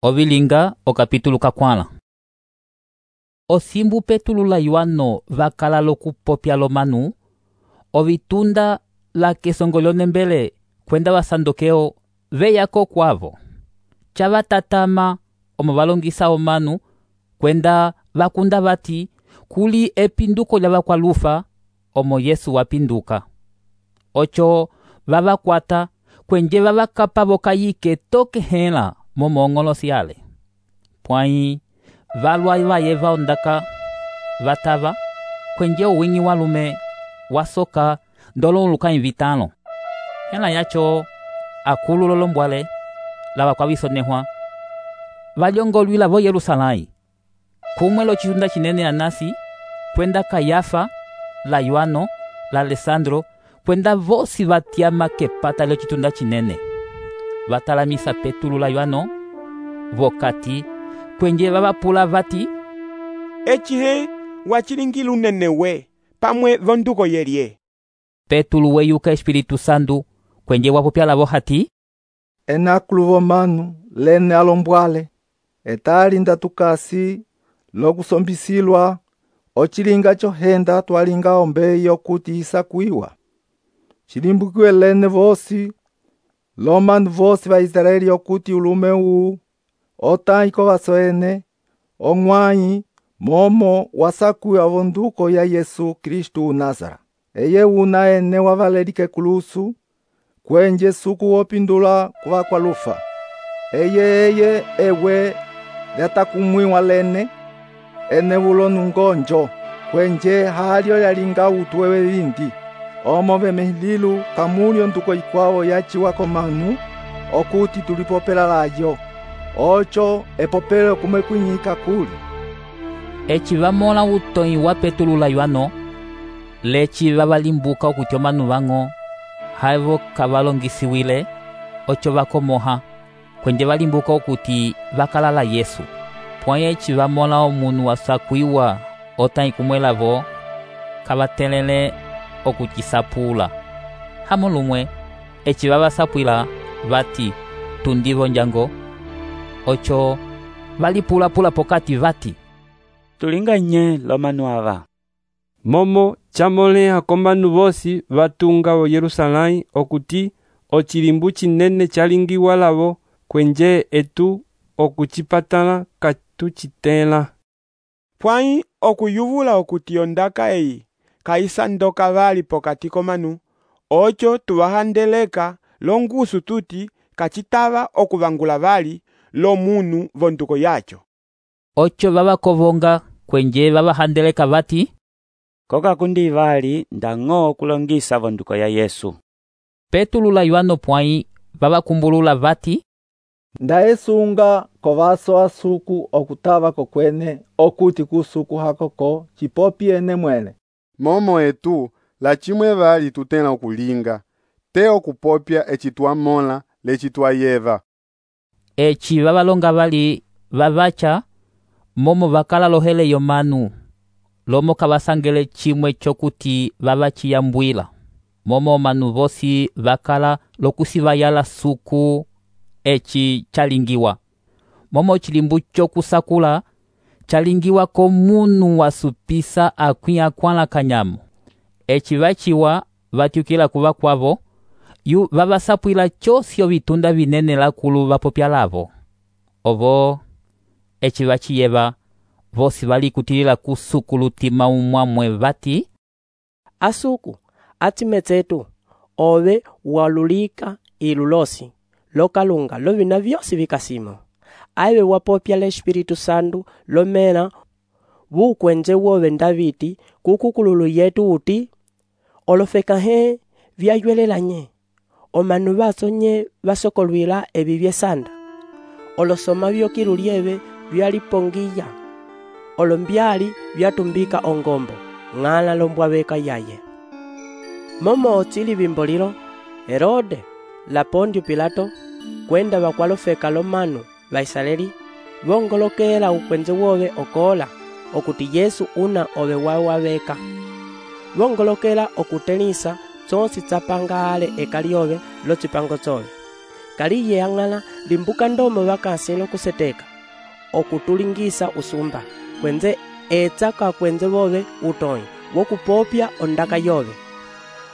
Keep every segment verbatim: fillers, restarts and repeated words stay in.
Ovilinga o capítulo kakwala. Osimbu Petulu la Yohano vakala lokupopya lomanu, ovitunda la kesongolyo nembele kwenda vasandokeo veyako kwavo. Chavatatama omo valongisa omanu kwenda vakunda vati kuli epinduko lya vakwalufa omo Yesu wapinduka. Ocho vavakwata kwenje vavakapa vokayike toke hela momongolosi yale. Pwai valwa vaye vaondaka vatava kwenje uwingi walume wasoka ndolo lukayi vitano. Hela yacho akulu lolombwale lava kwavisonehwa valyongolwila vo Yerusalai. Kumwe lo chitunda chinene Anasi kwenda Kayafa la Yohano la Alessandro kwenda vosi vatyama kepata lo chitunda chinene. Vatalamisa Petulu la Yohano vokati kwenje vavapula vati, Echihe wachilingila unene we pamwe vonduko yelye. Petulu weyuka Espiritu Santu kwenje wapopya lavo hati, enakulu vomanu lene alombwale etali ndatukasi lokusombisilwa ochilinga chohenda twalinga ombeyi okuti isakuiwa. Chilimbukiwe lene vosi lomanu vosi va Israeli okuti ulume uu otaiko vasoene ong'wayi momo wasakuiwa vonduko ya Yesu Kristu Nazara. Eye una ene wavalelike kulusu kwenje suku wopindula kuva kwa lufa. Eye eye ewe lyatakumwiwa lene ene vulonu ngonjo kwenje halyo yalinga utwewe vindi. Omo vemehililu kamulyo nduko ikwao yachiwa komanu okuti tulipopela layo. Ocho epopele kumwe kwinyika kuli. Echi vamola utoyi wa Petulu la Yohano lechi vavalimbuka okuti omanu vang'o haivo kavalongisiwile ocho vakomoha kwenje valimbuka okuti vakalala Yesu. Pwai echi vamola omunu wasakuiwa otayi kumwe lavo kavatelele okuchisapula. Hamo lumwe echi vavasapwila vati tundivo njango. Ocho valipula-pula pokati vati, tulinga nye lomanu ava. Momo chamoleha komanu vosi vatunga o Yerusalai okuti ochilimbu chinene chalingiwa lavo kwenje etu okuchipatala katuchitela. Pwai okuyuvula okuti ondaka eyi kaisandoka vali pokati komanu, ocho tuvahandeleka longusu tuti kachitava okuvangula vali lo munu vonduko yacho. Ocho vavakovonga kwenje vavahandeleka vati, koka kundi vali ndang'o kulongisa vonduko ya Yesu. Petulu la Yohano pwai vavakumbulula vati, ndaesunga kovaso asuku okutava kokwene okuti kusuku hakoko chipopi ene mwele. Momo etu la chimwe vali tutela okulinga te okupopya echi twamola lechi twayeva. Echi vavalonga vali vavacha momo vakala lohele yomanu lomo kavasangele chimwe chokuti vavachiyambwila. Momo manu vosi vakala lokusivayala suku echi chalingiwa. Momo chilimbu chokusakula chalingiwa komunu wasupisa akwi akwala kanyamu. Echi vachiwa vatyukila kuva kwavo yu vavasapwila chosio vitunda vinene lakulu vapopya lavo. Ovo echi vachiyeva vosi valikutilila kusuku lutima umwamwe vati, asuku atimetsetu ove walulika ilulosi lokalunga lovina vyosi vikasimo. Aive wapopya le Espiritu Santu lomena vukwenje wove Davidi kukukululu yetu uti olofeka he vyayuelelanye omanu vasonye vasokolwila evi vyesanda olosoma vyokilulieve vyalipongiya olombyali vyatumbika ongombo ng'ala lombwaveka yaye. Momo otili vimbolilo Herode la Pondio Pilato kwenda vakwalofeka lomanu va Israeli vongolokela ukwenze wove okola okuti Yesu una ove wawaveka. Vongolokela okutelisa tsonsi tsapangale ekaliove lo tsipango tsove. kaliye yang'ala limbuka ndomo vakasilo kuseteka okutulingisa usumba kwenze etsa kakwenze vove utonyi wokupopya ondaka yove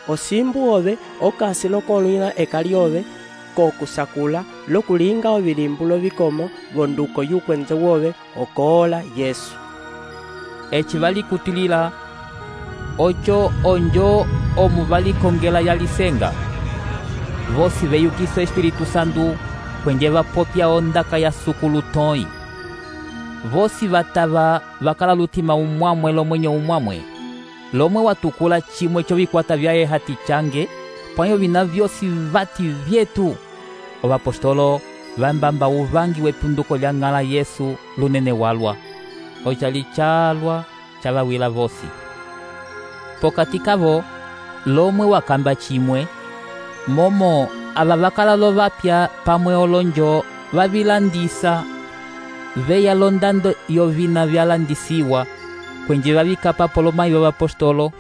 osimbu ove okasilo kolwila eka lyove kokusakula lokulinga ovilimbulo vikomo vonduko yukwenze wove okoola Yesu. eci valikutilila oco onjo omu valikongela yalisenga vosi veyukiso Espiritu Santu kwenje vapopya ondaka ya sukulu toyi vosi vatava vakala lutima umwamwe lomwenyo umwamwe lomwe watukula chimwe chovikwata vyaye hati change pwayo vina vyosi vati vyetu ovapostolo vambamba uvangi wepunduko lya ng'ala Yesu lunene walwa ocali calwa cavawila vosi pokati kavo lomwe wakamba chimwe momo ava vakala lo vapya pamwe olonjo vavilandisa veya londando yovina vyalandisiwa kwenje vavikapa polomayi vavapostolo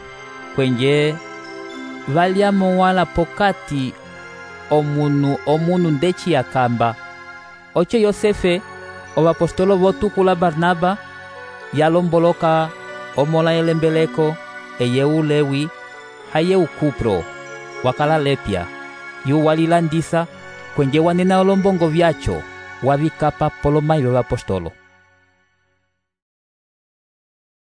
kwenje valyamo wala pokati omunu omunu ndeci yakamba oco Yosefe ovapostolo votukula Barnaba yalomboloka omola elembeleko eyeu Lewi hayeu Kupro wakala lepya yu walilandisa kwenje wanena olombongo vyacho wavikapa polomayi vavapostolo.